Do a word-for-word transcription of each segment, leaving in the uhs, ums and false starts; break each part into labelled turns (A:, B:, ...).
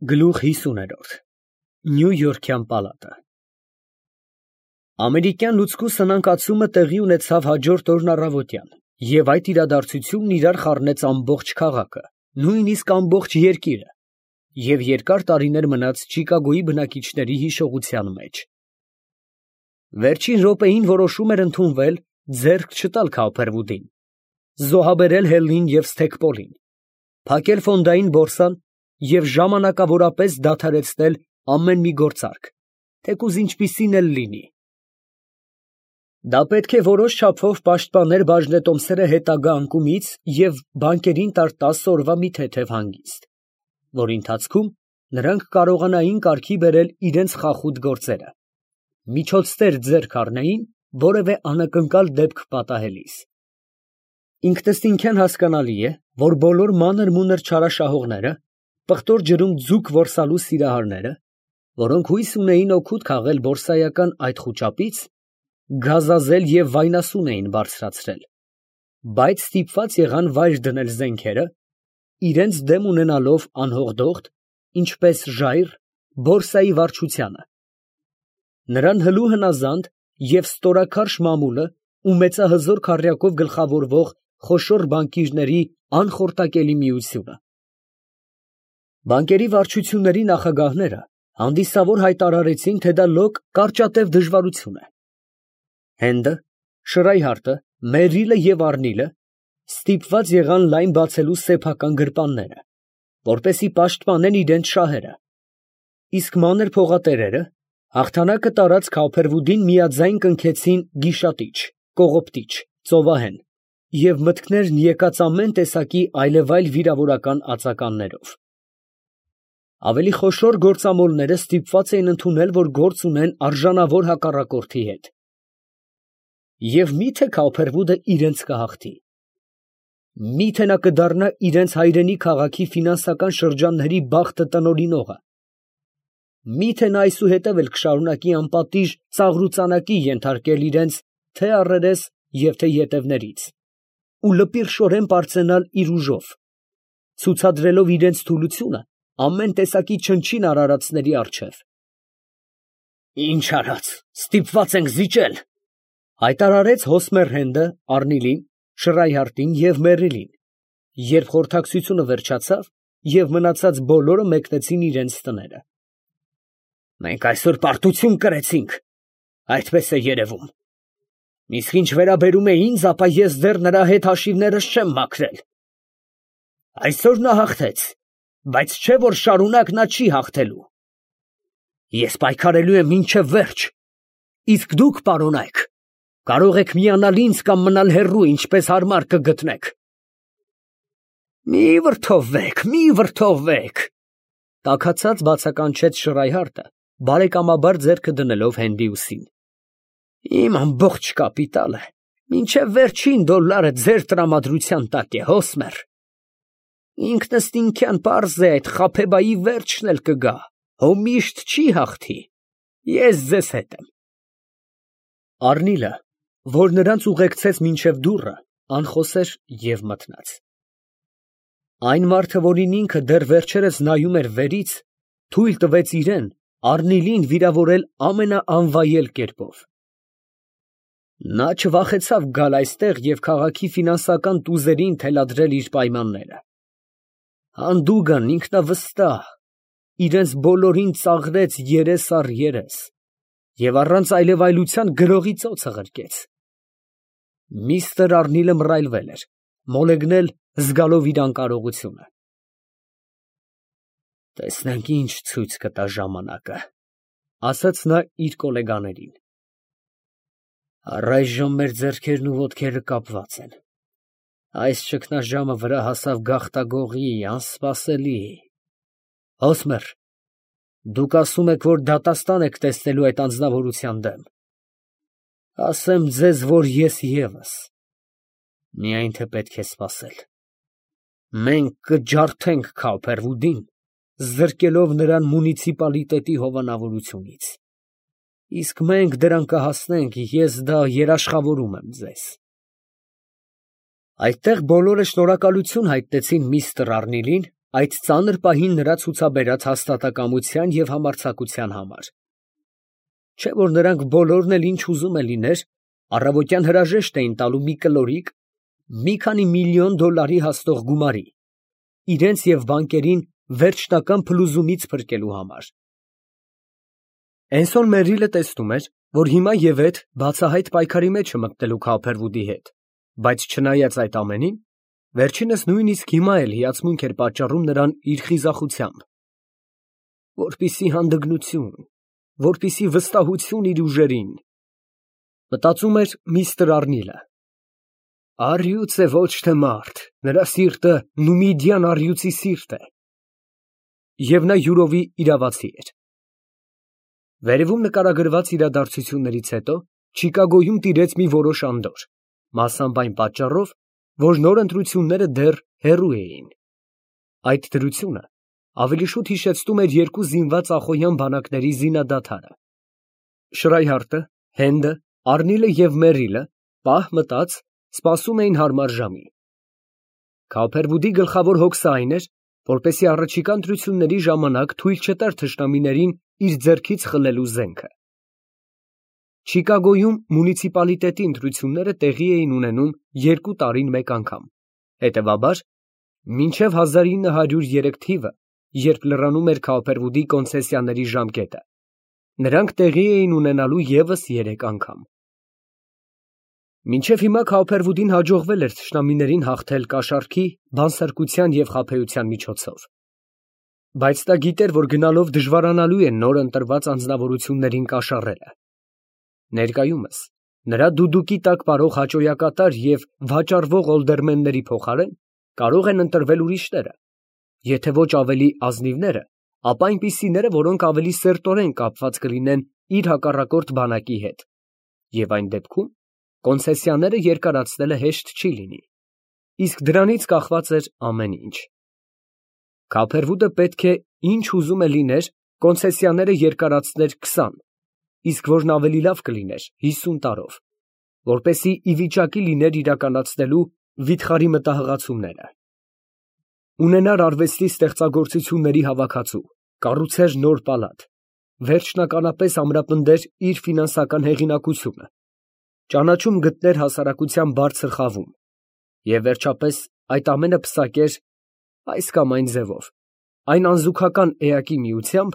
A: Գլուխ հիսուներորդ Նյու Յորքյան պալատը Ամերիկյան լուցկու սնանկացումը տեղի ունեցավ հաջորդ օրն առավոտյան, և այդ իրադարձությունն իրար խառնեց ամբողջ քաղաքը, նույնիսկ ամբողջ երկիրը, և երկար տարիներ մնաց Չիկագոյի բնակիչների հիշողության մեջ։ Վերջին րոպեին որոշում էր ընդունվել ձեռք չտալ Քауփերվուդին, զոհաբերել Հելլին և Սթեքպոլին, փակել ֆոնդային բորսան և ժամանակավորապես դադարեցնել ամեն մի գործարք, թեկուզ ինչպիսին էլ լինի։ Դա պետք է որոշ չափով պաշտպաներ բաժնետոմսերը հետագա անկումից և բանկերին տար տասը օրվա մի թեթև հանգիստ, որի ընթացքում նրանք կարողանային կարգի բերել իրենց խախուտ գործերը, միջոցներ ձեռք առնեին որևէ անակնկալ դեպք պատահելիս։ Ինքնըստինքյան հասկանալի է, որ բոլոր մանր֊մունր չարաշահողները, պղտոր ջրում ձուկ որսալու սիրահարները, որոնք հույս ունեին օգուտ քաղել բորսայական այդ խուճապից, գազազել և վայնասուն էին բարձրացրել, բայց ստիպված եղան վայր դնել զենքերը, իրենց դեմ ունենալով անհողդողդ, ինչպես ժայռ, բորսայի վարչությանը, նրան հլու հնազանդ և ստորաքարշ մամուլը ու մեծահզոր քառյակով գլխավորվող խոշոր բանկիրների անխորտակելի միությունը։ Բանկերի վարչությունների նախագահները հանդիսավոր հայտարարեցին, թե դա լոկ կարճատև դժվարություն է։ Հենդը, Շրայհարտը, Մերիլը և Առնիլը ստիպված եղան լայն բացելու սեփական գրպանները, որպեսզի պաշտպանեն իրենց շահերը, իսկ մանր փողատերերը հաղթանակը տարած Քауփերվուդին միաձայն կնքեցին գիշատիչ, կողոպտիչ, ծովահեն և մտքներն եկած ամեն տեսակի այլևայլ վիրավորական ածականներով։ Ավելի խոշոր գործամոլները ստիպված էին ընդունել, որ գործ ունեն արժանավոր հակառակորդի հետ։ Եվ մի՞թե Քауփերվուդը իրենց կհաղթի։ Մի՞թե նա կդառնա իրենց հայրենի քաղաքի ֆինանսական շրջանների բախտը տնօրինողը։ Մի՞թե նա այսուհետև էլ կշարունակի անպատիժ ծաղրուծանակի ենթարկել իրենց թե՛ առերես և թե՛ ետևներից ու լպիրշորեն պարծենալ իր ուժով, ցուցադրելով իրենց թուլությունը ամեն տեսակի չնչին արարածների առջև։ «Ի՞նչ արած, ստիպված ենք զիջել», ֊ հայտարարեց Հոսմեր Հենդը Առնիլին, Շրայհարտին և Մերիլին, երբ խորհրդակցությունը վերջացավ և մնացած բոլորը մեկնեցին իրենց տները։ «Մենք այսօր պարտություն կրեցինք, այդպես է երևում, իսկ ինչ վերաբերում է ինձ, ապա ես դեռ նրա հետ հաշիվներս չեմ մաքրել։ Այսօր նա հաղթեց, բայց չէ՞ որ շարունակ նա չի հաղթելու։ Ես պայքարելու եմ մինչև վերջ, իսկ դուք, պարոնայք, կարող եք միանալ ինձ կամ մնալ հեռու, ինչպես հարմար կգտնեք»։ «Մի վրդովվեք, մի վրդովվեք», ֊ տաքացած բացականչեց Շրայհարտը, բարեկամաբար ձեռքը դնելով Հենդի ուսին։ «Իմ ամբողջ կապիտալը մինչև վերջին դոլարը ձեր տրամադրության տակ է, Հոսմեր։ Ինքնըստինքյան պարզ է, այդ խաբեբայի վերջն էլ կգա, հո միշտ չի հաղթի, ես ձեզ հետ եմ»։ Առնիլը, որ նրանց ուղեկցեց մինչև դուռը, անխոս էր և մթնած։ Այն մարդը, որին ինքը դեռ վերջերս նայում էր վերից, թույլ տվեց իրան, Առնիլին, վիրավորել ամենաանվայել կերպով։ Նա չվախեցավ գալ այստեղ և քաղաքի ֆինանսական տուզերին թելադրել իր պայմանները։ Հանդուգն, ինքնավստահ, իրենց բոլորին ծաղրեց երես առ երես և առանց այլևայլության գրողի ծոցը ղրկեց։ Միստր Առնիլը մռայլվել էր, մոլեգնել, զգալով իր անկարողությունը։ «Տեսնենք, ինչ ցույց կտա ժամանակը», ֊ ասաց նա իր գոլեգաներին։ «Առայժմ մեր ձեռքերն ու ոտքերը կապված են։ Այս ճգնաժամը վրա հասավ գաղտագողի, անսպասելի… Հոսմեր, դուք ասում եք, որ դատաստան եք տեսնելու այդ անձնավորության դեմ… Ասեմ ձեզ, որ ես ևս… Միայն թե պետք է սպասել… Մենք կջարդենք Քауփերվուդին, զրկելով նրան մունիցիպալիտետի հովանավորությունից… Իսկ մենք դրան կհասնենք, ես դա երաշխավորում եմ ձեզ»։ Այդտեղ բոլորը շնորհակալություն հայտնեցին միստր Առնիլին, այդ ծանր պահին նրա ցուցաբերած հաստատակամության և համարձակության համար։ Չէ՞ որ նրանք բոլորն էլ ինչ ուզում է լիներ, առավոտյան հրաժեշտ էին տալու մի կլորիկ, մի քանի միլիոն դոլարի հասնող գումարի, իրենց և բանկերին վերջնական փլուզումից փրկելու համար։ Էնսոն Մերրիլը տեսնում էր, որ հիմա ևեթ բացահայտ պայքարի մեջ է մտնելու Քոփերվուդի հետ, բայց չնայած այդ ամենին, վերջինս նույնիսկ հիմա էլ հիացմունք էր պատճառում նրան իր խիզախությամբ։ Որպիսի հանդգնություն, որպիսի վստահություն իր ուժերին, մտածում էր միստր Արնիլը։ Առյուծ է, ոչ թե մարդ, նրա սիրտը նումիդյան առյուծի սիրտ է։ Եվ նա յուրովի իրավացի էր։ Վերևում նկարագրված իրադարձություններից հետո Չիկագոյում տիրեց մի որոշ անդորր, մասամբ այն պատճառով, որ նոր ընտրությունները դեռ հեռու էին։ Այդ դրությունը ավելի շուտ հիշեցնում էր երկու զինված ախոյան բանակների զինադադարը։ Շրայհարտը, Հենդը, Արնիլը և Մերրիլը պահ մտած սպասում էին հարմար ժամի։ Քոփերվուդի գլխավոր հոգսը այն էր, որպեսզի առաջիկա ընտրությունների ժամանակ թույլ չտար թշնամիներին իր ձեռքից խլելու զենքը։ Չիկագոյում մունիցիպալիտետի ընտրությունները տեղի էին ունենում երկու տարին մեկ անգամ, հետևաբար, մինչև հազար ինը հարյուր երեք թիվը, երբ լրանում էր Քոփերվուդի կոնցեսիաների ժամկետը, նրանք տեղի էին ունենալու ևս երեք անգամ։ Մինչև հիմա Քոփերվուդին հաջողվել էր թշնամիներին հաղթել կաշառքի, բանսարկության և խաբեության միջոցով։ Բայց նա գիտեր, որ գնալով դժվարանալու է նոր ընտրված անձնավորություններին կաշառելը։ Ներկայումս նրա դուդուկի տակ պարող հաճոյակատար և վաճառվող օլդերմենների փոխարեն կարող են ընտրվել ուրիշները, եթե ոչ ավելի ազնիվները, ապա այնպիսիները, որոնք ավելի սերտորեն կապված կլինեն իր հակառակորդ բանակի հետ, և այն դեպքում կոնցեսիաները երկարացնելը հեշտ չի լինի, իսկ դրանից կախված էր ամեն ինչ։ Քոփերվուդը պետք է ինչ ուզում է լիներ, կոնցեսիաները երկարացներ քսան, իսկ որն ավելի լավ կլիներ հիսուն տարով, որպեսզի ի վիճակի լիներ իրականացնելու վիթխարի մտահղացումները։ Ունենար արվեստի ստեղծագործությունների հավաքածու, կառուցեր նոր պալատ, վերջնականապես ամրապնդեր իր ֆինանսական հեղինակությունը, ճանաչում գտներ հասարակության բարձր խավում և վերջապես այդ ամենը պսակեր այս կամ այն ձևով, այն անզուգական էակի միությամբ,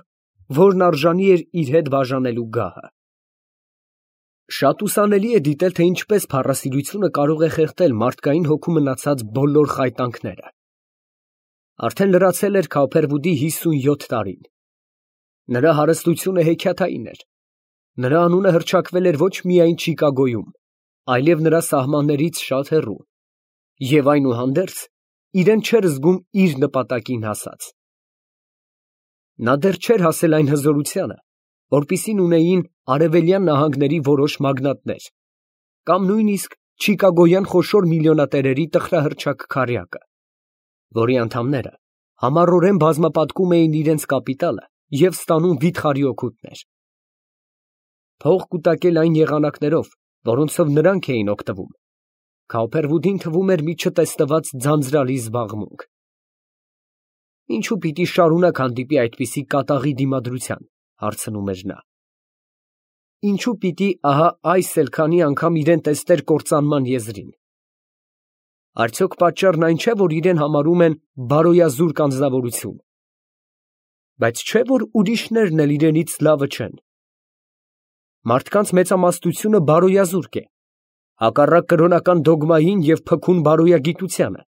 A: որն արժանի էր իր հետ բաժանելու գահը։ Շատ ուսանելի է դիտել, թե ինչպես փառասիրությունը կարող է խեղդել մարդկային հոգու մնացած բոլոր խայտանքները։ Արդեն լրացել էր Քոփերվուդի հիսունյոթ տարին։ Նրա հարստությունը հեքիաթային էր։ Նրա անունը հռչակվել էր ոչ միայն Չիկագոյում, այլև նրա սահմաններից շատ հեռու, և այնուհանդերձ իրեն չէր զգում իր նպատակին հասած։ Նա դեռ չէր հասել այն հզորությանը, որպիսին ունեին արևելյան նահանգների որոշ մագնատներ, կամ նույնիսկ չիկագոյան խոշոր միլիոնատերերի տխրահռչակ քառյակը, որի անդամները համառորեն բազմապատկում էին իրենց կապիտալը և ստանում վիթխարի օգուտներ։ Փող կուտակել այն եղանակներով, որոնցով նրանք էին օգտվում, Քոփերվուդին թվում էր մի չտեսնված ձանձրալի զբաղմունք։ Ինչու պիտի շարունակ հանդիպի այդպիսի կատաղի դիմադրության, հարցնում էր նա։ Ինչու պիտի ահա այս էլ քանի անգամ իրեն տեսներ կործանման եզրին։ Արդյոք պատճառն այն չէ, որ իրեն համարում են բարոյազուրկ անձնավորություն։ Բայց չէ՞ որ ուրիշներն էլ իրենից լավը չեն։ Մարդկանց մեծամասնությունը բարոյազուրկ է, հակառակ կրոնական դոգմային և փքուն բարոյագիտությանը,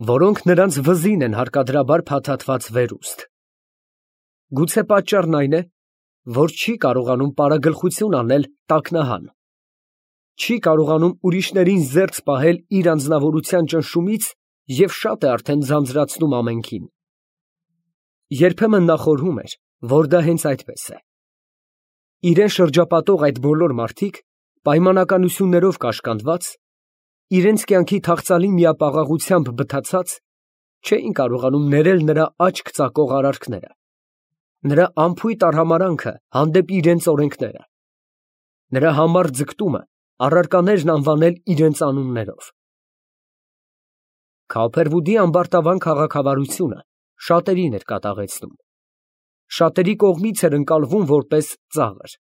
A: որոնք նրանց վզին են հարկադրաբար փաթաթված վերուստ։ Գուցե պատճառն այն է, որ չի կարողանում պարագլխություն անել տաքնահան, չի կարողանում ուրիշներին զերծ պահել իր անձնավորության ճնշումից և շատ է արդեն ձանձրացնում ամենքին։ Երբեմն նա խորհում էր, որ դա հենց այդպես է։ Իրեն շրջապատող այդ բոլոր մարդիկ, պայմանականություններով կաշկանդված, իրենց կյանքի թախծալի միապաղաղությամբ բթացած, չէին կարողանում ներել նրա աչք ծակող արարքները, նրա անփույթ արհամարհանքը հանդեպ իրենց օրենքները, նրա համառ ձգտումը առարկաներն անվանել իրենց անուններով։ Քափերվուդի ամբարտավան քաղաքավարությունը շատերին էր կատաղեցնում, շատերի կողմից էր ընկալվում որպես ծաղր։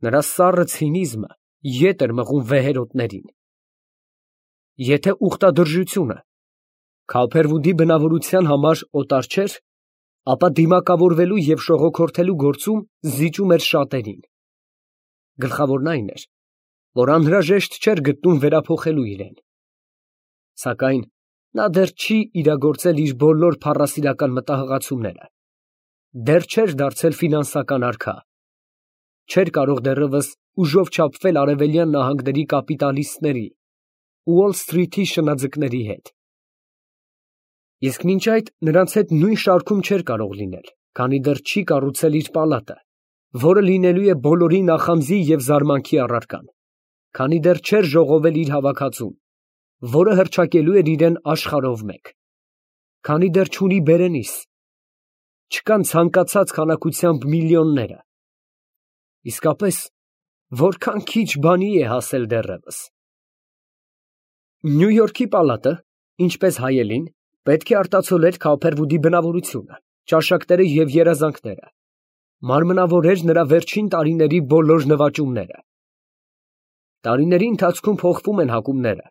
A: Նրա սառը ցինիզմը ետ էր մղում վեհերոտներին։ Եթե ուխտադրժությունը Քափերվուդի բնավորության համար օտար չէր, ապա դիմակավորվելու և շողոքորթելու գործում զիջում էր շատերին։ Գլխավորն այն էր, որ անհրաժեշտ չէր գտնում վերափոխելու իրեն։ Սակայն նա դեռ չի իրագործել իր բոլոր փառասիրական մտահղացումները, դեռ չէր դարձել ֆինանսական արքա, չէր կարող դեռևս ուժով չափվել արևելյան նահանգների կապիտալիստների, Ուոլ Սթրիթի շնաձկների հետ։ Իսկ մինչ այդ նրանց հետ նույն շարքում չէր կարող լինել, քանի դեռ չի կառուցել իր պալատը, որը լինելու է բոլորի նախանձի և զարմանքի առարկան, քանի դեռ չէր ժողովել իր հավաքածուն, որը հռչակելու էր իրեն աշխարհով մեկ, քանի դեռ չունի բերենիս, չկան ցանկացած քանակությամբ միլիոնները։ Իսկապես, որքան քիչ բանի է հասել դեռևս։ Նյու Յորքի պալատը, ինչպես հայելին, պետք է արտացոլեր Քափերվուդի բնավորությունը, ճաշակները և երազանքները, մարմնավորեր նրա վերջին տարիների բոլոր նվաճումները։ Տարիների ընթացքում փոխվում են հակումները։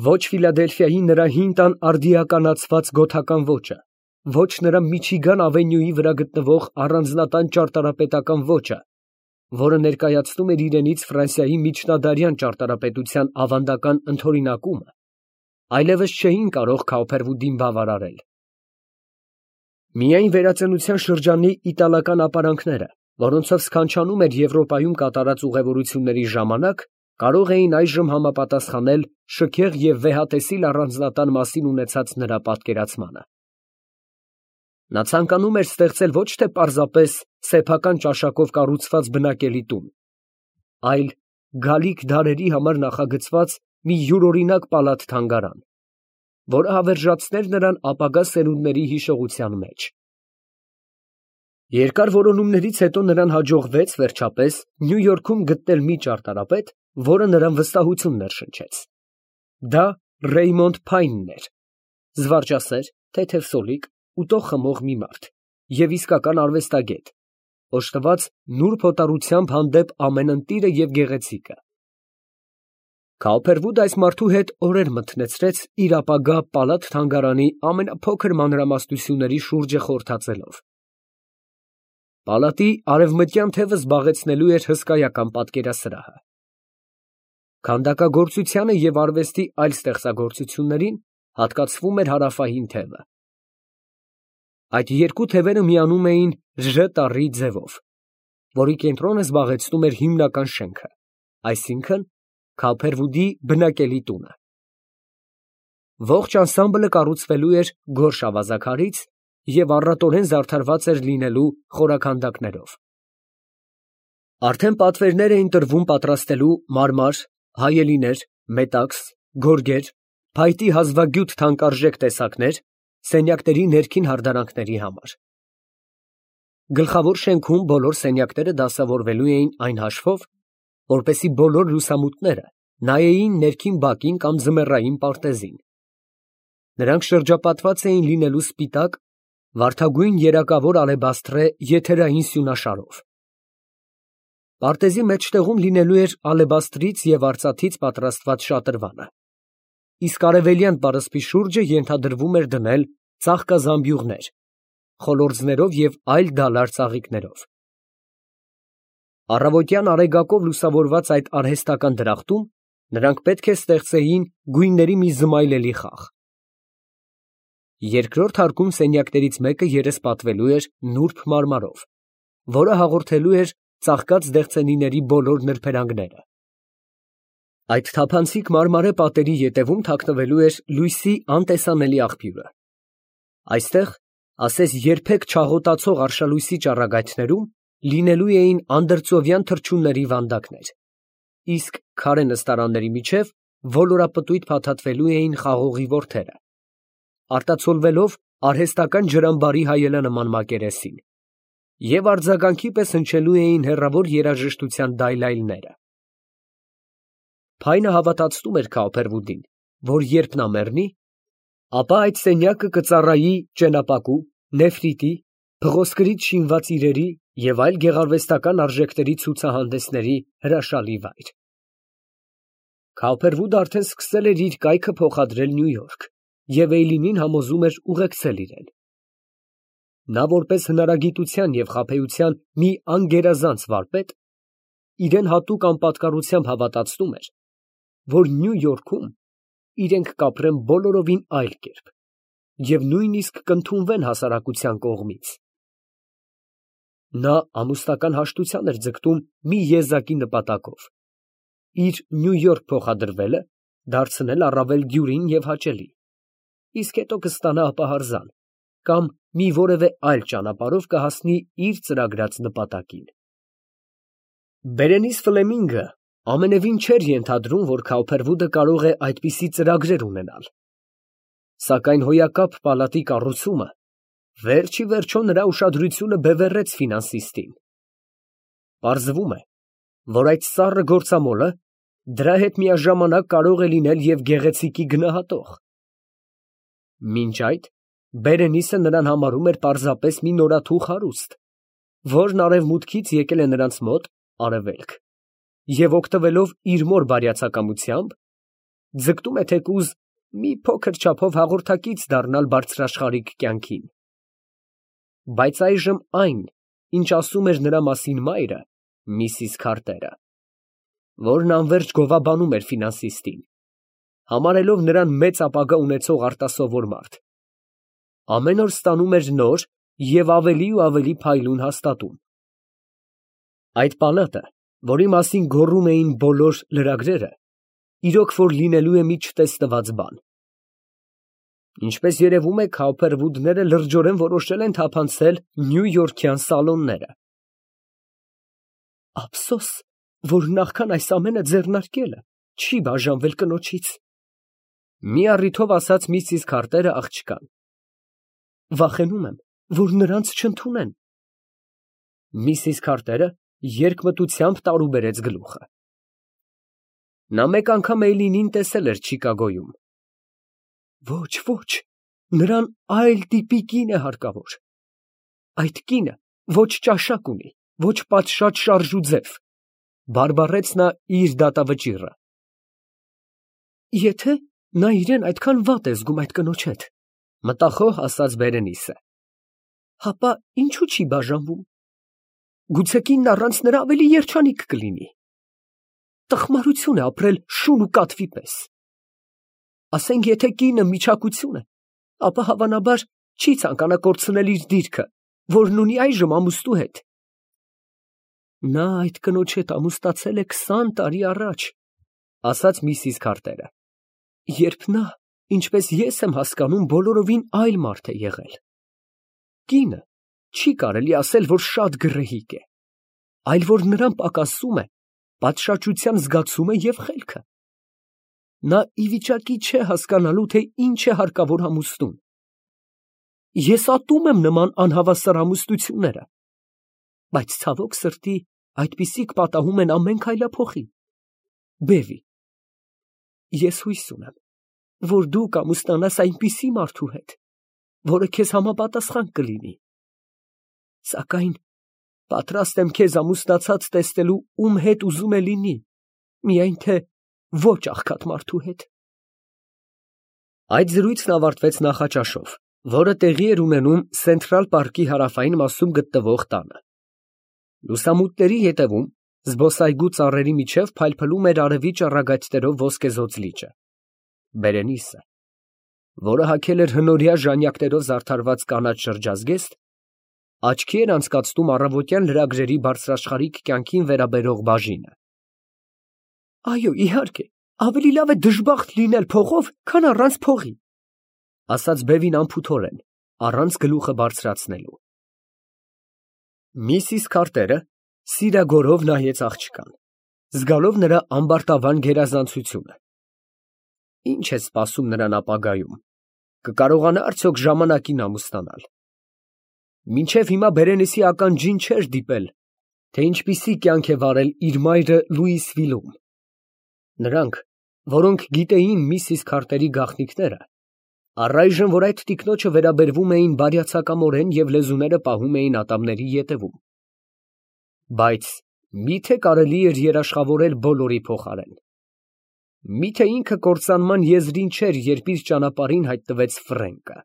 A: Ոչ Ֆիլադելֆիայի նրա հին տան արդիականացված գոթական ոճը, ոչ նրա Միչիգան ավենյուի վրա գտնվող առանձնատան ճարտարապետական ոճը, որը ներկայացնում էր իրենից Ֆրանսիայի միջնադարյան ճարտարապետության ավանդական ընդօրինակումը, այլևս չէին կարող Քափերվուդին բավարարել։ Միայն վերածնության շրջանի իտալական ապարանքները, որոնցով սքանչանում էր Եվրոպայում կատարած ուղևորությունների ժամանակ, կարող էին այժմ համապատասխանել շքեղ և վեհատեսիլ առանձնատան մասին ունեցած նրա պատկերացմանը։ Նա ցանկանում էր ստեղծել ոչ թե պարզապես սեփական ճաշակով կառուցված բնակելի տուն, այլ գալիք դարերի համար նախագծված մի յուրօրինակ պալատ֊թանգարան, որը հավերժացներ նրան ապագա սերունդների հիշողության մեջ։ Երկար որոնումներից հետո նրան հաջողվեց, վերջապես, Նյու Յորքում գտնել մի ճարտարապետ, որը նրան վստահություն ներշնչեց։ Դա Ռեյմոնդ Փայնն էր, զվարճասեր, թեթև սոլիկ, ուտող խմող մի մարդ և իսկական արվեստագետ, օժտված նուրբ հոտառությամբ հանդեպ ամեն ընտիրը և գեղեցիկը։ Քափերվուդը այս մարդու հետ օրեր մթնեցրեց իր ապագա պալատ֊թանգարանի ամենափոքր մանրամասնությունների շուրջը խորհրդածելով։ Պալատի արևմտյան թևը զբաղեցնելու էր հսկայական պատկերասրահը։ Քանդակագործությանը և արվեստի այլ ստեղծագործություններին հատկացվում էր հարավային թևը։ Այդ երկու թևերը միանում էին Ժ տառի ձևով, որի կենտրոնը զբաղեցնում էր հիմնական շենքը, այսինքն՝ Քափերվուդի բնակելի տունը։ Ողջ անսամբլը կառուցվելու էր գորշ ավազաքարից և առատորեն զարդարված էր լինելու խորաքանդակներով։ Արդեն պատվերներ էին տրվում պատրաստելու մարմար, հայելիներ, մետաքս, գորգեր, փայտի հազվագյուտ թանկարժեք տեսակներ սենյակների ներքին հարդարանքների համար։ Գլխավոր շենքում բոլոր սենյակները դասավորվելու էին այն հաշվով, որպեսզի բոլոր լուսամուտները նայեին ներքին բակին կամ ձմեռային պարտեզին։ Նրանք շրջապատված էին լինելու սպիտակ, վարդագույն երակավոր ալեբաստրե եթերային սյունաշարով։ Պարտեզի մեջտեղում լինելու էր ալեբաստրից և արծաթից պատրաստված շատրվանը, իսկ արևելյան պարսպի շուրջը ենթադրվում էր դնել ծաղկազամբյուղներ, խոլորձներով և այլ դալար ծաղիկներով։ Առավոտյան արեգակով լուսավորված այդ արհեստական դրախտում նրանք պետք է ստեղծեին գույների մի զմայլելի խաղ։ Երկրորդ հարկում սենյակներից մեկը երեսպատվելու էր նուրբ մարմարով, որը հաղորդելու էր ծաղկած դեղցենիների բոլոր նրբերանգները։ Այդ թափանցիկ մարմարե պատերի ետևում թաքնվելու էր լույսի անտեսանելի աղբյուրը։ Այստեղ, ասես երբեք չաղոտացող արշալույսի ճառագայթներում, լինելու էին անդրծովյան թռչունների վանդակներ, իսկ քարե նստարանների միջև ոլորապտույտ փաթաթվելու էին խաղողի որդերը, արտացոլվելով արհեստական ջրամբարի հայելանման մակերեսին, և արձագանքի պես հնչելու էին հեռավոր երաժշտության դայլայլները։ Փայնը հավատացնում էր Քափերվուդին, որ երբ նա մեռնի, ապա այդ սենյակը կծառայի ճենապակու, նեֆրիտի, փղոսկրից շինված իրերի և այլ գեղարվեստական արժեքների ցուցահանդեսների հրաշալի վայր։ Քոուփերվուդը արդեն սկսել էր իր կայքը փոխադրել Նյու Յորք և Էյլինին համոզում էր ուղեկցել իրեն։ Նա որպես հնարագիտության և խաբեության մի անգերազանց վարպետ, իրան հատուկ անպատկառությամբ հավատացնում էր, որ Նյու Յորքում իրենք կապրեն բոլորովին այլ կերպ և նույնիսկ կընդունվեն հասարակության կողմից։ Նա ամուսնական հաշտության էր ձգտում մի եզակի նպատակով՝ իր Նյու Յորք փոխադրվելը դարձնել առավել դյուրին և հաճելի, իսկ հետո կստանա ապահարզան կամ մի որևէ այլ ճանապարհով կհասնի իր ծրագրած նպատակին։ Բերենիս Ֆլեմինգը ամենևին չէր ենթադրում, որ Քոուփերվուդը կարող է այդպիսի ծրագրեր ունենալ, սակայն հոյակապ պալատի կառուցումը վերջ ի վերջո նրա ուշադրությունը բևեռեց ֆինանսիստին։ Պարզվում է, որ այդ սառը գործամոլը դրա հետ միաժամանակ կարող է լինել և գեղեցիկի գնահատող։ Մինչ այդ Բերենիսը նրան համարում էր պարզապես մի նորաթուխ հարուստ, որն արևմուտքից եկել է նրանց մոտ (արևելք) և օգտվելով իր մոր բարյացակամությամբ, ձգտում է թեկուզ մի փոքր չափով հաղորդակից դառնալ բարձրաշխարհիկ կյանքին։ Բայց այժմ այն, ինչ ասում էր նրա մասին մայրը, միսիս Քարտերը, որն անվերջ գովաբանում էր ֆինանսիստին, համարելով նրան մեծ ապագա ունեցող արտասովոր մարդ, ամեն օր ստանում էր նոր և ավելի ու ավելի փայլուն հաստատում։ Այդ պալատը, որի մասին գոռում էին բոլոր լրագրերը, իրոք որ լինելու է մի չտեսնված բան։ Ինչպես երևում է, Քոուփերվուդները լրջորեն որոշել են թափանցել նյույորքյան սալոնները։ Ափսոս, որ նախքան այս ամենը ձեռնարկելը չի բաժանվել կնոջից, ֊ մի առիթով ասաց միսիս Քարտերը աղջկան։ Վախենում եմ, որ նրանց չընդունեն։ Միսիս Քարտերը երկմտությամբ տարուբերեց գլուխը։ Նա մեկ անգամ Էյլինին տեսել էր Չիկագոյում։ Ոչ, ոչ, նրան այլ տիպի կին է հարկավոր։ Այդ կինը ոչ ճաշակ ունի, ոչ պատշաճ շարժ ու ձև, ֊ բարբառեց նա իր դատավճիռը։ Եթե նա իրան այդքան վատ է զգում այդ կնոջ հետ, ֊ մտախոհ ասաց Բերենիսը, ֊ հապա ինչու չի բաժանվում։ Գուցե կինն առանց նրա ավելի երջանիկ կլինի։ Տխմարություն է ապրել շուն ու կատվի պես։ Ասենք, եթե կինը միչակություն է, ապա հավանաբար չի ցանկանա կորցնել իր դիրքը, որն ունի այժմ ամուստու հետ։ Նա այդ կնոջ հետ ամուսնացել է քսան տարի առաջ, ֊ ասաց միսիս Քարտերը, երբ նա, ինչպես ես եմ հասկանում, բոլորովին այլ մարդ է եղել։ Կինը չի կարելի ասել, որ շատ գռեհիկ է, այլ որ նրան պակասում է պատշաճության զգացումը և խելքը։ Նա ի վիճակի չէ հասկանալու, թե ինչ է հարկավոր ամուսնուն։ Ես ատում եմ նման անհավասար ամուսնությունները, բայց ցավոք սրտի այդպիսիք պատահում են ամեն քայլափոխին։ Բևի, ես հույս ունեմ, որ դու կամուսնանաս այնպիսի մարդու հետ, որը քեզ համապատասխան կլինի, սակայն պատրաստ եմ քեզ ամուսնացած տեսնելու ում հետ ուզում է լինի, միայն թե ոչ աղքատ մարդու հետ։ Այդ զրույցն ավարտվեց նախաճաշով, որը տեղի էր ունենում Սենթրալ պարկի հարավային մասում գտնվող տանը։ Լուսամուտների ետևում, զբոսայգու ծառերի միջև փայլփլում էր արևի ճառագայթներով ոսկեզօծ լիճը։ Բերենիսը, որը հագել էր հնորյա ժանյակներով զարդարված կանաչ շրջազգեստ, աչքի էր անցկացնում առավոտյան լրագրերի բարձրաշխարհիկ կյանքին վերաբերող բաժինը։ Այո, իհարկե, ավելի լավ է դժբախտ լինել փողով, քան առանց փողի, ֊ ասաց բևին անփութորեն, առանց գլուխը բարձրացնելու։ Միսիս Քարտերը սիրագորով նայեց աղջկան, զգալով նրա ամբարտավան գերազանցությունը։ Ինչ է սպասում նրան ապագայում, կկարողանա արդյոք ժամանակին ամուսնանալ։ Մինչև հիմա Բերենիսի ականջին չէր դիպել, թե ինչպիսի կյանք է վարել իր մայրը Լուիսվիլում։ Նրանք որոնք գիտեին միսիս Քարտերի գաղտնիքները, առայժմ, որ այդ տիկնոջը վերաբերվում էին բարյացակամորեն և լեզուները պահում էին ատամների ետևում, բայց մի՞թե կարելի էր երաշխավորել բոլորի փոխարեն. մի՞թե ինքը կործանման եզրին չէր, երբ իր ճանապարհին հայտնվեց Ֆրենկը։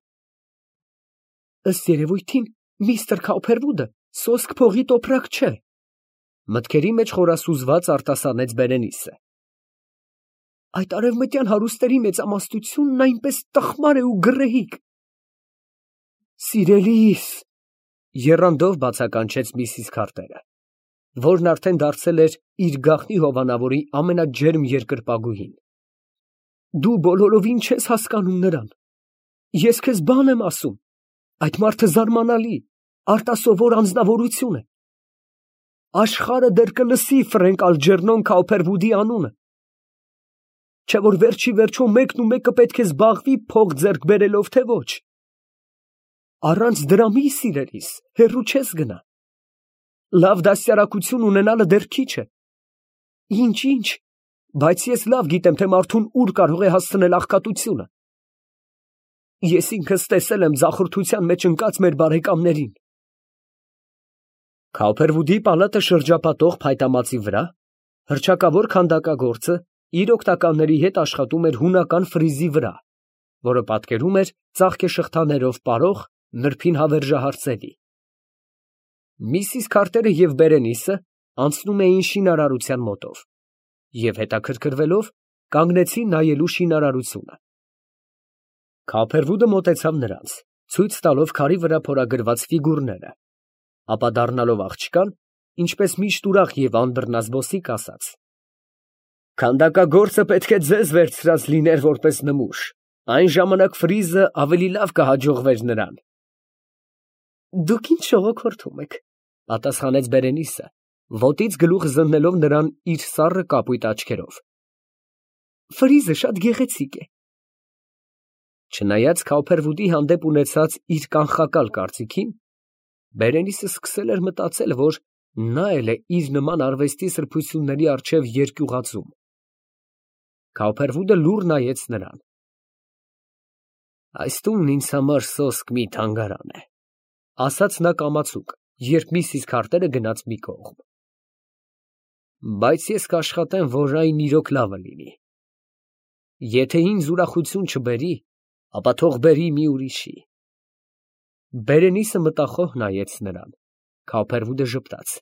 A: Ըստ երևույթին, միստր Քաուփերվուդը սոսկ փողի տոպրակ չէ, մտքերի մեջ խորասուզված արտասանեց Բերենիսը։ Այդ արևմտյան հարուստների մեծամասնությունն այնպես տխմար է ու գռեհիկ։ Սիրելիս, եռանդով բացականչեց միսիս Քարտերը, որն արդեն դարձել էր իր գաղտնի հովանավորի ամենաջերմ երկրպագուհին։ Դու բոլորովին չես հասկանում նրան։ Ես քեզ բան եմ ասում, այդ մարդը զարմանալի, արտասովոր անձնավորություն է։ Աշխարհը դեռ կլսի Ֆրենկ Ալջերնոն Քաուփերվուդի անունը, չէ՞ որ վերջի վերջո մեկն ու մեկը պետք է զբաղվի փող ձեռք բերելով, թե ոչ։ Առանց դրամի, սիրելիս, հեռու չես գնա։ Լավ դաստիարակություն ունենալը դեռ քիչ է։ Ինչ, ինչ, բայց ես լավ գիտեմ, թե մարդուն ուր կարող է հասցնել աղքատությունը։ Ես ինքս տեսել եմ ձախորդության մեջ ընկած մեր բարեկամներին։ Քաուփերվուդի պալատը շրջապատող փայտամածի վրա հռչակավոր քանդակագործը իր օգնականների հետ աշխատում էր հունական ֆրիզի վրա, որը պատկերում էր ծաղկեշղթաներով պարող նրբին հավերժահարցելի։ Միսիս Քարտերը և Բերենիսը անցնում էին շինարարության մոտով և հետաքրքրվելով կանգնեցին նայելու շինարարությունը։ Քաուփերվուդը մոտեցավ նրանց, ցույց տալով քարի վրա փորագրված ֆիգուրները, ապա դառնալով աղջկան, ինչպես միշտ ուրախ և անբռնազբոսիկ, ասաց. Քանդակագործը պետք է ձեզ վերցրած լիներ որպես նմուշ, այն ժամանակ ֆրիզը ավելի լավ կհաջողվեր նրան։ Դուք ինչ շողոքորթում եք, պատասխանեց Բերենիսը, ոտից գլուխ զննելով նրան իր սառը կապույտ աչքերով։ Ֆրիզը շատ գեղեցիկ է։ Չնայած Քաուփերվուդի հանդեպ ունեցած իր կանխակալ կարծիքին, Բերենիսը սկսել էր մտածել, որ նա էլ է իր նման արվեստի սրբությունների առջև երկյուղածում։ Քաուփերվուդը լուռ նայեց նրան։ Այս տունն ինձ համար սոսկ մի թանգարան է, ասաց նա կամացուկ, երբ միսիս Քարտերը գնաց մի կողմ։ Բայց ես կաշխատեմ, որ այն իրոք լավը լինի։ Եթե ինձ ուրախություն չբերի, ապա թող բերի մի ուրիշի։ Բերենիսը մտախոհ նայեց նրան։ Քաուփերվուդը ժպտաց։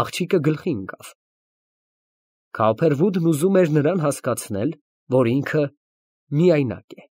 A: Աղջիկը գլխի ընկավ։ Քաուփերվուդն ուզում էր նրան հասկացնել, որ ինքը միայնակ է։